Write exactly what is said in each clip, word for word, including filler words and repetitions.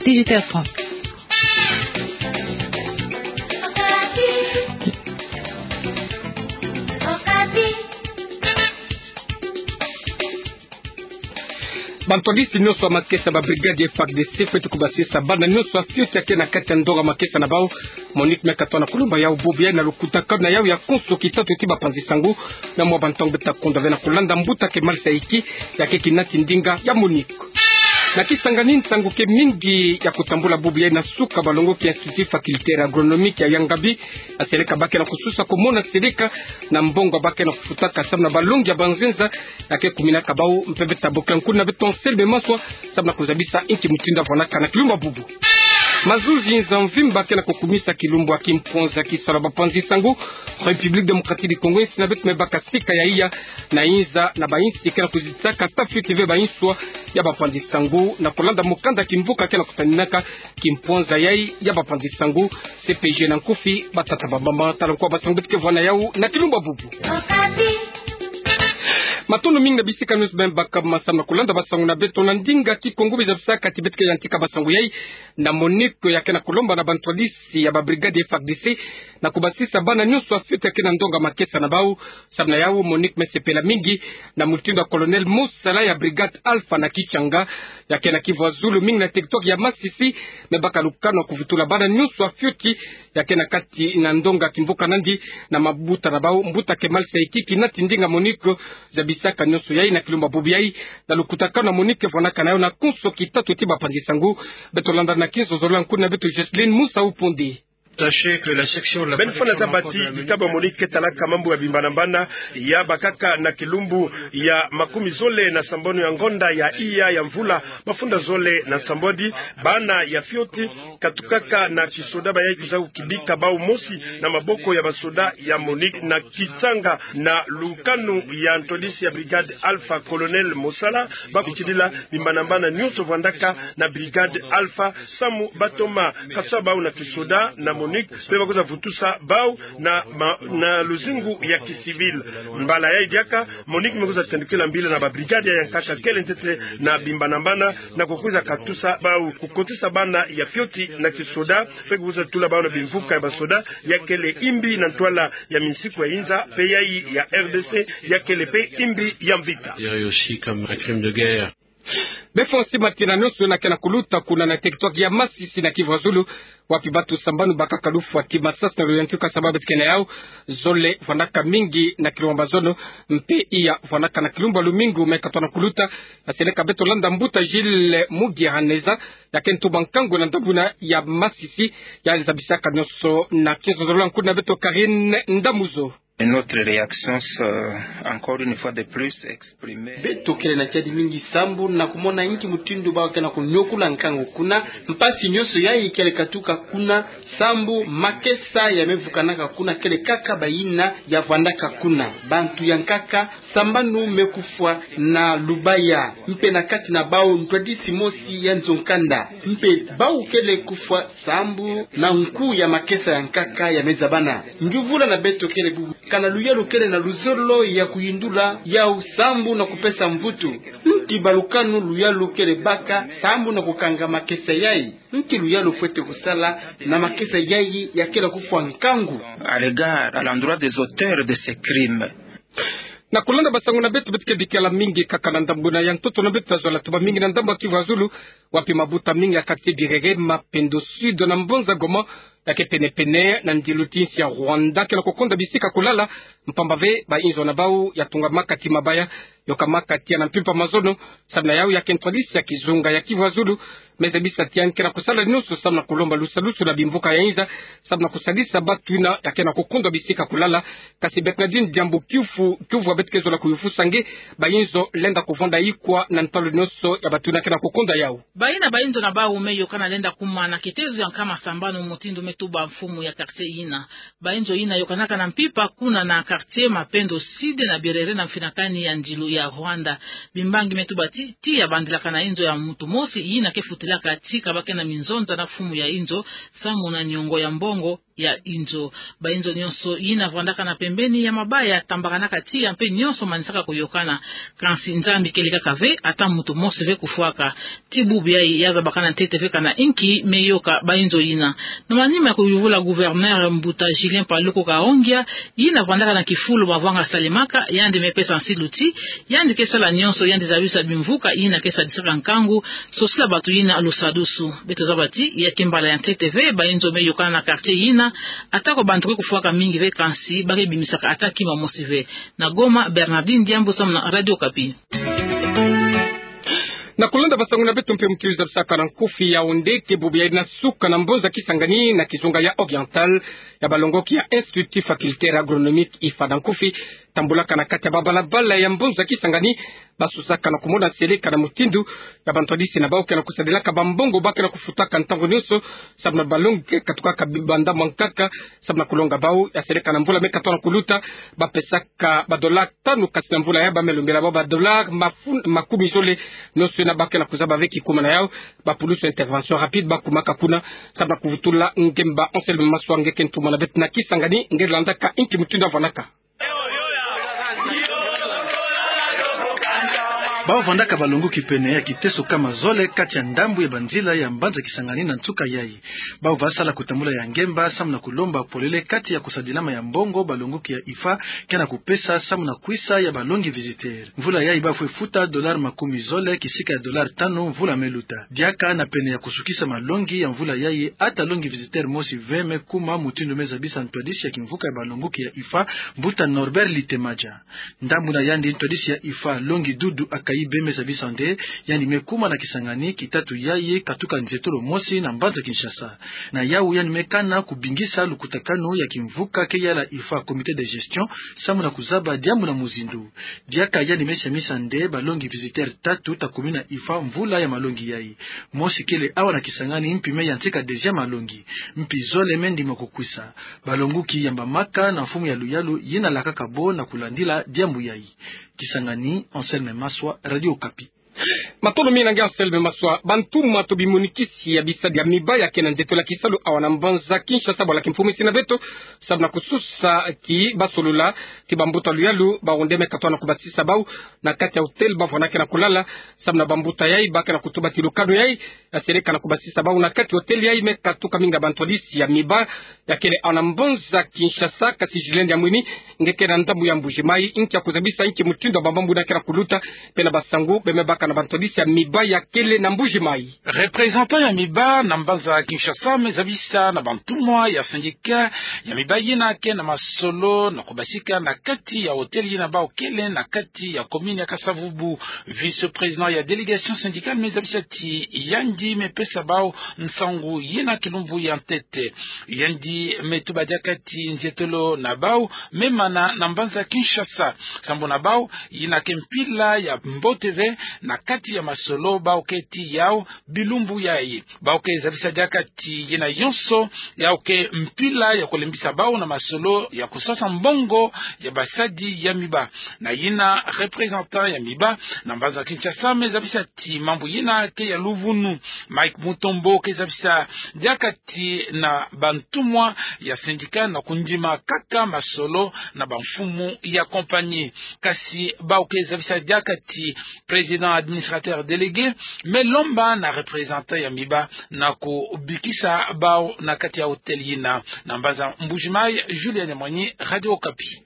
Dix-huit heures trente. Bantwadisi nyonso ya makesa, ba brigade ya F A R D C fwete kubasisa bana nyonso ya fioti ya ke na kati ya ndonga makesa na bau. MONUC me katoa na kulomba yau bubu yayi na lukutakanu na yau ya konso kitatu ti bapanzi sango, na mwa bantangu beta kondwa ve na kulanda mbuta Kemal Saiki, ya ke kinati ndinga ya MONUC. Na Kisangani, nsangu ke mingi ya kutambula bubu yayi na suka balongoki ya Institut Facultaire Agronomique ya Yangabi, na seleka ba ke na kususa kumona seleka na mbongo ba ke na kufutaka samu na balongi ya banzenza, ya ke kuminaka bau mpe beta bokila nkuna beto Anselme Maswa, samu na kuzabisa inki mutindu ya vwanaka na kilumbu ya bubu. Mazuzi nza mvimba ke na kukumisa kilumbu ya kimponza ya kisalu ya bapanzi sango. République Démocratique du Congo, insi na beto me baka sika ya iya na inza na bainsi ke na kuzitaka ta fioti ve bainswa ya bapanzi sango, na kulanda mukanda kimvuka ke na kutaninaka kimponza yayi ya bapanzi sango, C P G na nkufi. Batata, bamama, tala nkwa basango beto ke vwa na yau na kilumbu ya bubu. Matondo mingi na bisika nyonso beno baka masamu na kulanda basango na beto na ndinga Kikongo. Biza bisaka ti beto ke yantika basango yayi na MONUC ya ke na kulomba na bantwadisi ya ba brigade ya F A R D C na kubasisa bana nyonso ya fioti ya ke na ndonga makesa na bau. Samu na yau, MONUC me sepela mingi na mutindu ya Colonel Mosala ya Brigade Alpha na Kitshanga, ya ke na Kivu ya Zulu, mingi na territoire ya Masisi, me baka lukanu ya kuvutula bana nyonso ya fioti ya ke na kati na ndonga kimvuka nandi na mabuta na bau. Mbuta Kemal Saiki, kinati ndinga MONUC, zabisaka nyonso yayi na kilumbu ya bubu yayi na lukutakanu MONUC vwanaka na yau na konso kitatu ti bapanzi sango. Beto landa na kinzonzolo ya nkuna beto Jocelyn Musa Uponde. Sachez que la section la... Beno fwana zaba ti bitabu ya MONUC ke talaka mambu ya bimbana-mbana ya bakaka na kilumbu ya makumi zole na sambanu ya ngonda ya iya ya mvula mafunda zole na nsambwadi, bana ya fioti katukaka na kisoda bayayi kwiza kukibika bau mosi na maboko ya basoda ya MONUC na Kitshanga, na lukanu ya ntwadisi ya Brigade Alpha, Colonel Mosala, ba kukidila bimbana-mbana nyonso vwandaka na Brigade Alpha, samu ba toma katusa bau na kisoda na MONUC, mpe ba kwiza vutusa bau na, ma, na luzingu ya kicivil. Mbala yayi diaka, MONUC me kwiza tendukila mbila na ba brigade yayi ya nkaka kele ntete na bimbana-mbana, na kukwiza katusa bau, kukotisa bana ya fioti na kisoda, mpe kukwiza tula bau na bimvuka ya basoda ya kele imbi na ntwala ya minsiku ya inza, mpe yayi ya R D C ya kele mpe imbi ya mvita. Considéré aussi comme un crime de guerre. Befo nsi matina nyonso na ke na kuluta kuna na territoire ya Masisi na Kivu ya Zulu, wapi bantu sambanu bakaka lufwa ti masasi na luyantika sababu beto ke na yau. Zole vwandaka mingi na kilumbu ya mazono, mpe iya vwandaka na kilumbu ya lumingu me katoa na kuluta. Na seleka beto landa mbuta Gilles Mugiraneza, ya ke ntumba nkangu na ndambu na ya Masisi, ya zabisaka nyonso na kinzonzolo ya nkuna beto Karine Ndamuzo. Et notre réaction, c'est, encore une fois de plus, exprimer. Beto kele na kiadi mingi sambu na kumona inki mutindu ba ke na kunyokula nkangu kuna, mpasi nyonso yayi kele katuka kuna, sambu makesa ya me vukanaka kuna kele kaka bayina ya vwandaka kuna. Bantu ya nkaka sambanu me kufwa na lubaya, mpe na kati na bau ntwadisi mosi ya nzo-nkanda, mpe bau kele kufwa sambu na nku ya makesa ya nkaka ya me zabana. Nyuvula na beto kele bubu, kana luyalu kele na luzolo ya kuyindula yau sambu na kupesa mvutu? Nki balukanu luyalu kele baka sambu na kukanga makesa yayi? Nki luyalu fwete kusala na makesa yayi ya kele kufwa nkangu? À l'égard, à l'endroit des auteurs de ces crimes. Na kulanda basango na beto, beto ke bikela mingi kaka na ndambu na ya ntoto na beto, tazolaka tuba mingi na ndambu ya Kivu ya Zulu, wapi mabuta mingi ya quartier Birere, Mapendo Sud na Mbanza Goma, ya ke pene-pene na ndilu ti nsi ya Rwanda, ke na kukonda bisika kulala, mpamba ve bainzo na bau ya tungamaka ti mabaya, yokamaka tiya na mpimpa mazono. Samu na yau, ya ke ntwadisi ya kizunga ya Kivu ya Zulu me zabisa ti yandi ke na kusala nyonso samu na kulomba lusalusu na bimvuka ya inza, samu na kusalisa bantu yina ya ke na kukondwa bisika kulala. Kasi beto na dini diambu kiufu, kiuvu beto ke zola kuyufusa nge, bainzo lenda kuvanda ikwa na ntalu nyonso ya bantu yina ke na kukondwa yau. Bayina bainzo na bau me yokana lenda kuma na kitezo ya nkama sambanu mutindu me tuba mfumu ya quartier yina. Bainzo yina yokanaka na mpimpa kuna na quartier Mapendo Sud na Birere na mfinakani ya ndilu ya Rwanda. Bimbangi me tuba ti, tiya bandilaka na inzo ya muntu mosi yina ke futilaka ti kabake na minzonza na mfumu ya inzo, samu na niongo ya mbongo ya inzo. Bainzo nyonso yina vandaka na pembeni ya mabaya tambakanaka tiya mpe nyonso manisaka koyokana. Kansi Nzambi kele kaka ve, ata muntu mosi ve kufwaka. Ti bubu yayi ya zabakana ntete ve kana inki me yoka bainzo yina. Na manima ya kuyuvula gouverneur mbuta Julien Paluku Kahongya, yina vandaka na kifulu mavanga salemaka, yandi me pesa nsilu ti yandi ke sala nyonso yandi zabisa bimvuka yina ke sadisaka nkangu, sosila bato yina lusadusu. Beto zaba ti ya ke mbala ya ntete ve bainzo me yokana na quartier yina, atako bantu ke kufwaka mingi ve kansi ba ke bimisaka ata kima mosi ve. Na Goma, Bernardine Diambu samu na Radio Okapi. Na kulanda basango na beto mpe mu kiwizabisaka na nkufi ya onde ke bubu yayi na suka na mbonza Kisangani na kizunga ya Oriental ya balongoki ya Institut Facultaire Agronomique IFA na nkufi, tambulaka na kati ya babalabala ya mbonza Kisangani, basusaka na kumona seleka na mutindu ya bantwadisi na bau ke na kusadilaka bambongo ba ke na kufutaka ntangu nyonso, samu na balongi ke katukaka bi-, banda mwa nkaka, samu na kulonga bau ya seleka na mvula me katuka na kuluta, bapesaka badola tanu, kasi na mvula yayi ba me lombela bau badola mafu-, makumi zole. Nyonso yina ba ke na kuzaba ve kikuma na yau, bapulusu intervention rapide bakumaka kuna, samu na kuvutula ngemba. Anselme Maswa nge ke ntumwa na beto na Kisangani, nge landaka inki mutindu ya vandaka. Bau vandaka balongoki pene ya kiteso kama zole kati ya ndambu ya banzila ya mbanza Kisangani na nsuka yayi. Bau ba sala kutambula ya ngemba samu na kulomba polele kati ya kusadilama ya mbongo balongoki ya IFA ke na kupesa samu na kwisa ya balongi visiteur. Mvula yayi ba fwe futa dollar makumi zole kisika ya dollar tanu mvula me luta. Diaka na pene ya kusukisa malongi ya mvula yayi, ata longi visiteur mosi ve me kuma, mutindu me zabisa ntwadisi ya kimvuka ya balongoki ya IFA, mbuta Norbert Litemaja. Ndambu na yandi, ntwadisi ya IFA, longi Dudu Akayibe, me zabisa nde yandi me kuma na Kisangani kitatu yayi katuka nzietolo mosi na mbanza Kinshasa. Na yau yandi me kana kubingisa lukutakanu ya kimvuka ke yala IFA, comité de gestion, samu na kuzaba diambu na muzindu. Diaka yandi me samisa nde balongi visiteur tatu ta kumi na IFA mvula ya malongi yayi. Mosi kele awa na Kisangani, mpi me yantika deuxième malongi. Mpi zole me ndima kukwisa. Balongoki yamba maka na mfumu ya luyalu yina lakaka bo na kulandila diambu yayi. Kisangani, Anselme Maswa, Radio Okapi. Matondo mingi na nge Anselme Maswa. Bantumwa to bimonikisi ya bisadi ya miba ya ke na nzietolo ya kisalu awa na mbanza Kinshasa bwala kimfumu isi na beto, samu na kususa ti basolola ti bambuta luyalu, bawu nde me katuka na kubasisa bau na kati ya hôtel ba vwandaka na kulala, samu na bambuta yayi ba ke na kutuba ti lukanu yayi ya seleka na kubasisa bau na kati ya hôtel yayi me katuka mingi ya bantwadisi ya miba ya kele awa na mbanza Kinshasa. Kasi Julien Diamwini, nge ke na ndambu ya Mbuji-Mayi, inki ya kuzabisa, inki mutindu ya bamambu yina ke na kuluta, mpe na basangu be me baka na bantwadisi ya miba ya kele na Mbuji-Mayi. Représentant ya miba na mbanza Kinshasa me zabisa na bantumwa ya syndicat ya miba yina ke na masolo na kubasika na kati ya hôtel yina bau kele na kati ya commune ya Kasa-Vubu. Vice-président ya délégation syndicale me zabisa ti yandi me pesa bau nsangu yina kilumbu ya ntete. Yandi me tuba diaka ti nzietolo na bau me mana na mbanza Kinshasa. Sambu na bau, yina ke mpila ya mbote ve na kati ya masolo bau ke ti yau bilumbu yayi. Bau ke zabisa diaka ti yina yonso yau ke mpila ya kulembisa bau na masolo ya kusasa mbongo ya basadi ya miba. Na yina représentant ya miba na mbanza Kinshasa me zabisa ti mambu yina ke ya luvunu. Mike Mutombo ke zabisa diaka ti na bantumwa ya syndicat na kundima kaka masolo na bamfumu ya compagnie. Kasi bau ke zabisa diaka ti président administrateur délégué me lomba na représentant ya miba na kubikisa bau na kati ya hôtel yina. Na mbanza Mbuji-Mayi, Julien Diamwini, Radio Okapi.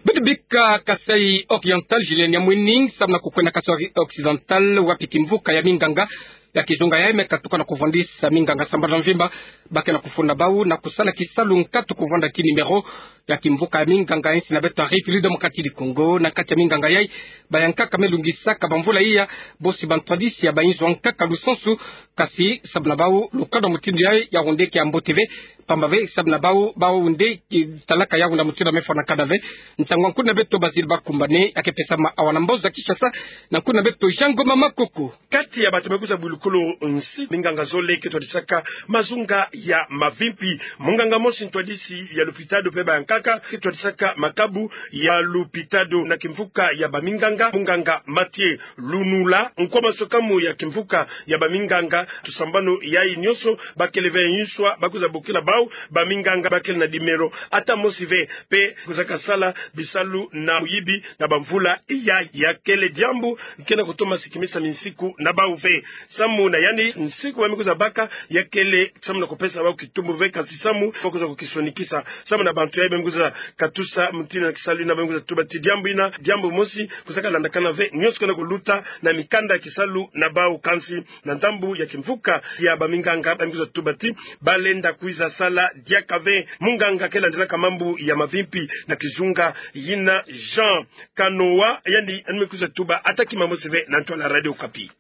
Beto bika Kasaï Oriental, Julien Diamwini, samu na kukwenda Kasaï Occidental, wapi kimvuka ya minganga ya kizunga yayi me katuka na kuvwandisa minganga sambala mvimba ba ke na kufunda bau na kusala kisalu nkatu kuvwanda ti numéro ya kimvuka ya minganga insi na beto Arifili de Mokatili Kongo. Na kati ya minganga yayi, bayankaka me lungisaka bamvula iya bosi bantwadisi ya bayinzo ya nkaka lusansu. Kasi samu na bau, lukanu ya mutindu yayi yau nde ke ya mbote ve, pamba ve samu na bau, bau nde ke talaka yau na mutindu ya me fwanakana ve. Nsangu ya nkuna beto Bazile Bakumbane ya ke pesama awa na mbanza Kinshasa na nkuna beto Jean Ngoma Makoko. Kati ya bato me kwiza bwilukulu nsi, minganga zole ke twadisaka mazunga ya mavimpi. Munganga mosi ntwadisi ya lopitalo mpe bayankaka Kaka ki twadisaka makabu ya lupitalo na kimvuka ya baminganga, munganga Mathieu Lunula, nkwa maswekamu ya kimvuka ya baminganga, tusambanu yayi nionso, bakele ve nswa ba kwiza bokila bau, baminganga bakele na nimero ata mosi ve, mpe kwizaka sala bisalu na muyibi na bamvula yayi. Ya kele diambu ke na kutoma sikimisa minsiku na bau ve. Samu na yandi nsiku ba me kwiza baka, ya kele samu na kupesa bau kitumbu ve, kasi samu ba kwiza kukisonikisa. Samu na bantu yayi ba me kwiza katusa mutindu na kisalu yina, ba me kwiza tuba ti diambu yina, diambu mosi, kwizaka landakana ve nionso ke na kuluta na mikanda ya kisalu na bau, kansi na ndambu ya kimvuka ya baminganga ba me kwiza tuba ti balenda kwiza sala diaka ve. Munganga ke landilaka mambu ya mavimpi na kizunga yina, Jean Kanoa, yandi yandi me kwiza tuba ata kima mosi ve na ntwala Radio Okapi.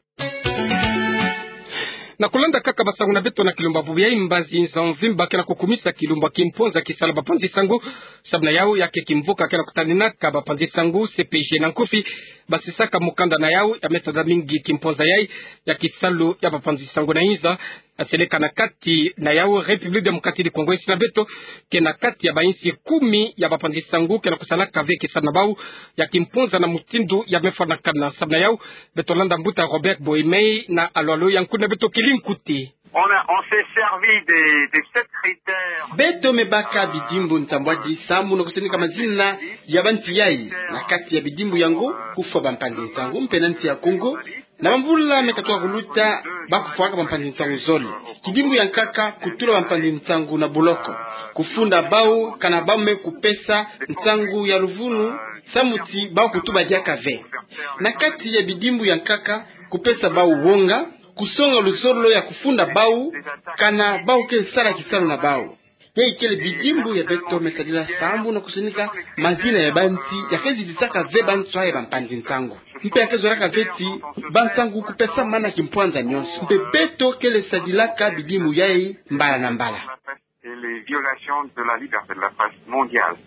Na kulanda kaka basangu na beto na kilumbu bubu yayi, mbazi nza mvimba ke na kukumisa kilumbu ya kimponza kisalu ya bapanzi sangu. Samu na yau, ya ke kimvuka ke na kutaninaka bapanzi sangu, C P G na nkufi, basisaka mukanda na yau ya me tanda mingi kimponza yayi ya kisalu ya bapanzi sangu na inza. Aseleka na kati na yau République Démocratique du Congo, insi na beto ke na kati ya bainsi kumi ya bapanzi sangu ke na kusalaka ve kisalu na bau ya kimponza na mutindu ya me fwanakana. Samu na yau, beto landa mbuta Robert Boimei na Alo Alo ya nkuna beto Kilinkuti. On a, on s'est servi des, des sept critères. Beto me baka bidimbu nsambwadi samu na kusonika mazina ya bantu yayi. Na kati ya bidimbu yango, kufwa bampanzi nsangu mpe na nsi ya Congo, na bamvula me katuka kuluta, ba kufwaka bampanzi nsangu zole. Kidimbu ya nkaka, kutula bampanzi nsangu na boloko, kufunda bau kana bau me kupesa nsangu ya luvunu, samu ti bau kutuba diaka ve. Na kati ya bidimbu ya nkaka, kupesa bau wonga, kusonga luzolo ya kufunda bau kana bau ke sala kisalu na bau. Yayi kele bidimbu ya beto me sadila samu na kusonika mazina ya bantu ya ke zidisaka ve banswa ya bampanzi nsangu, mpe ya ke zolaka ve ti bansangu kupesamana kimpwanza nionso. Mpe beto kele sadilaka bidimbu yayi mbala na mbala. Et les violations de la liberté de la presse mondiale.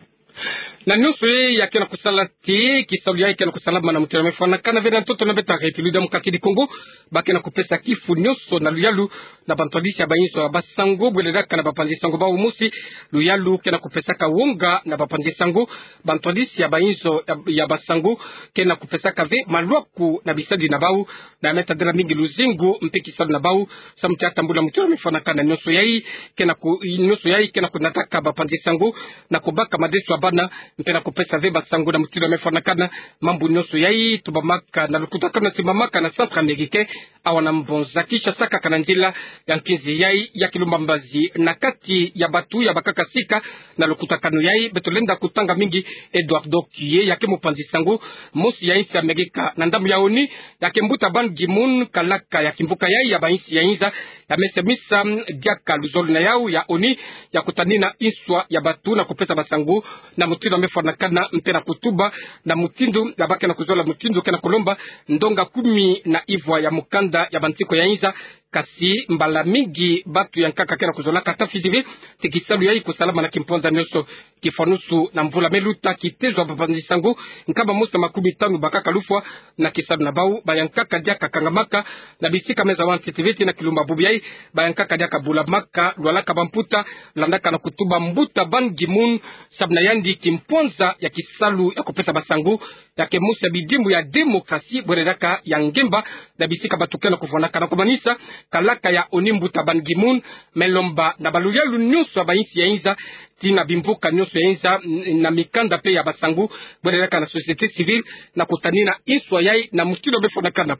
Na nionso yayi ya ke na kusala ti kisalu yayi ke na kusalama na mutindu ya me fwanakana ve na ntoto na beto ya République Démocratique du Congo, ba ke na kupesa kifu nionso na luyalu na bantwadisi ya bainzo ya basangu, bwelelaka na bapanzi sangu bau mosi. Luyalu ke na kupesaka wonga na bapanzi sangu, bantwadisi ya bainzo ya, ya basangu ke na kupesaka ve malwaku na bisadi na bau, na ya me tadila mingi luzingu mpe kisalu na bau, samu ti atambula mutindu ya me fwanakana nionso yayi, ke na ku-, nionso yayi ke na kunataka bapanzi sangu na kubaka madeso ya bana, mpe na kupesa ve basangu na mutindu ya me fwanakana. Mambu nionso yayi tubamaka na lukutakanu na simbamaka na Centrafricain, awa na mbonza Kinshasa, kaka na nzila ya nkinzi yayi ya Kilumba Mbazi. Na kati ya batu ya bakaka sika na lukutakanu yayi, beto lenda kutanga mingi Eduardo Kuye, ya ke mupanzi sangu mosi ya insi ya Amerika na ndambu ya ONU, ya ke mbuta Ban Ki-moon, kalaka ya kimvuka yayi ya bainsi ya inza, ya me semisa diaka luzolo na yau ya ONU ya kutanina inswa ya batu na kupesa basangu na mutindu ya me fwanakana, mpe na kutuba na mutindu ya ba ke na kuzola, mutindu ke na kulomba ndonga kumi na ivwa ya mukanda ya bantiko ya inza. Kasi mbala mingi batu ya nkaka ke na kuzolaka ata fioti ve ti kisalu yayi kusalama na kimpwanza nionso. Kifwanusu na mvula me luta, kitezo ya bapanzi sangu nkama mosi na makumi tanu bakaka lufwa na kisalu na bau. Ba ya nkaka diaka kangamaka na bisika me zawa ntete ve ti na Kilumba bubu yayi, ba ya nkaka diaka bulamaka, lwalaka bamputa, landaka na kutuba mbuta Ban Ki-moon, samu na yandi kimpwanza ya kisalu ya kupesa basangu ya ke mosi ya bidimbu ya démocratie, bwelelaka ya ngemba na bisika batu ke na kufwanakana. Kumanisa, kalaka ya ONU mbuta Ban Ki-moon me lomba na baluyalu nionso ya bainsi ya inza ti na bimvuka nionso ya inza, n-, na mikanda mpe ya basangu, bwelelaka na société civile, na kutanina inswa yayi na mutindu ya me fwanakana.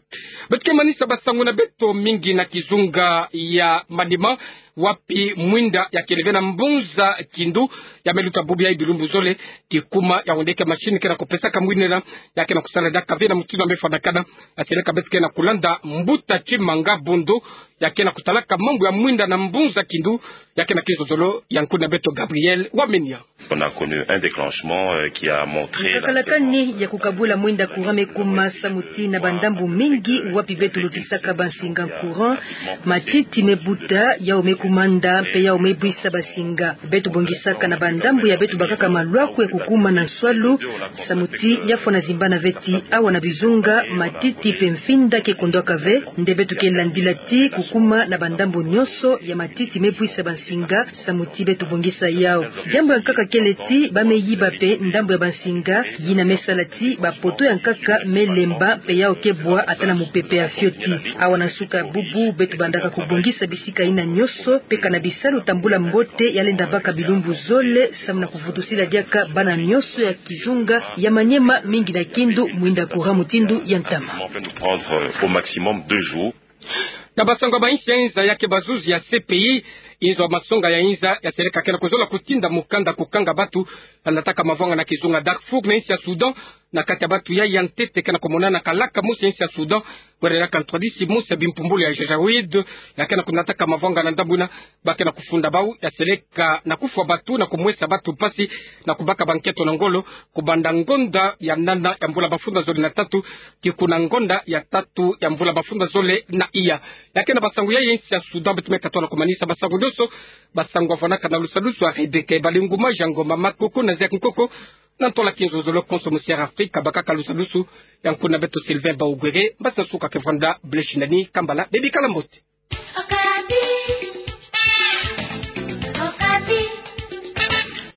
Beto ke manisa basangu na beto mingi na kizunga ya Maniema, wapi mwinda ya kele ve na mbunza Kindu ya me luta bubu yayi bilumbu zole, kikuma ya ondeke machine ke na kupesaka mwinda na, ya ke na kusala diaka ve na mutindu ya me fwanakana. Aseleka beto ke na kulanda mbuta Tshimanga Bondo, ya ke na kutalaka mambu ya mwinda na mbunza Kindu, ya ke na kizozolo ya nkuna beto Gabriel Wamenia. On a connu un déclenchement, euh, qui a montré la... Nkakala kani ya kukabula mwinda courant me kuma samu ti na bandambu mingi wapi beto lutisaka bansinga courant, matiti me buta, yau me kumanda mpe yau me bwisa bansinga. Beto bongisaka na bandambu ya beto bakaka malwaku ya kukuma na nswalu, samu ti ya fwana zimbana ve ti awa na bizunga matiti mpe mfinda ke kondwaka ve. Nde beto ke landila ti kukuma na bandambu nionso ya matiti me bwisa bansinga, samu ti beto bongisa yau. Diambu ya nkaka Kele ti ba meyiba mpe ndambo ya bansinga, yina mesala ti ba poto ya nkaka melemba mpe yau kebwa ata na mupepe ya fioti. Awa na nsuka bubu beto bandaka kubongisa bisika yina nionso, mpe kana bisalu tambula mbote ya lenda baka bilumbu zole, samu na kuvutusila diaka bana nionso ya kizunga ya Maniema, mingi na Kindu, mwinda kura mutindu ya ntama. Nous prendre au maximum deux jours. Na basangu ya ba insi ya inza, ya ke bazuzi ya C P I, inzo ya masonga ya inza ya seleka ke na kuzola kutinda mukanda kukanga batu ba nataka mavwanga na kizunga Darfour na insi ya Soudan. Na kati ya batu yai ya ntete ke na kumonana kalaka mosi ya insi ya Soudan, wele na ka ntwadisi mosi ya bimpumbulu ya Janjaweed, ya ke na kunataka mavwanga na ndambu yina, ba ke na kufunda bau ya seleka na kufwa batu na kumwesa batu mpasi, na kubaka ba nkento na ngolo, kubanda ngonda ya nana ya mvula mafundo zole na tatu, tii kuna ngonda ya tatu ya mvula mafundo zole na iya. Ya ke na basangu yai ya insi ya Soudan, beto me katola kumanisa basangu nionso. Basangu ya vwanaka na lusadusu ya Rebecca Ebalingu, Majango, Mama Koko na Ziak Nkoko. Na ntola kinzololo konso mu Sierra Africa, bakaka lusadusu ya nkuna beto Sylvain Baugwere. Mbasi nsuka ke vwanda, Blaise Nani Kambala, bebikala mbote.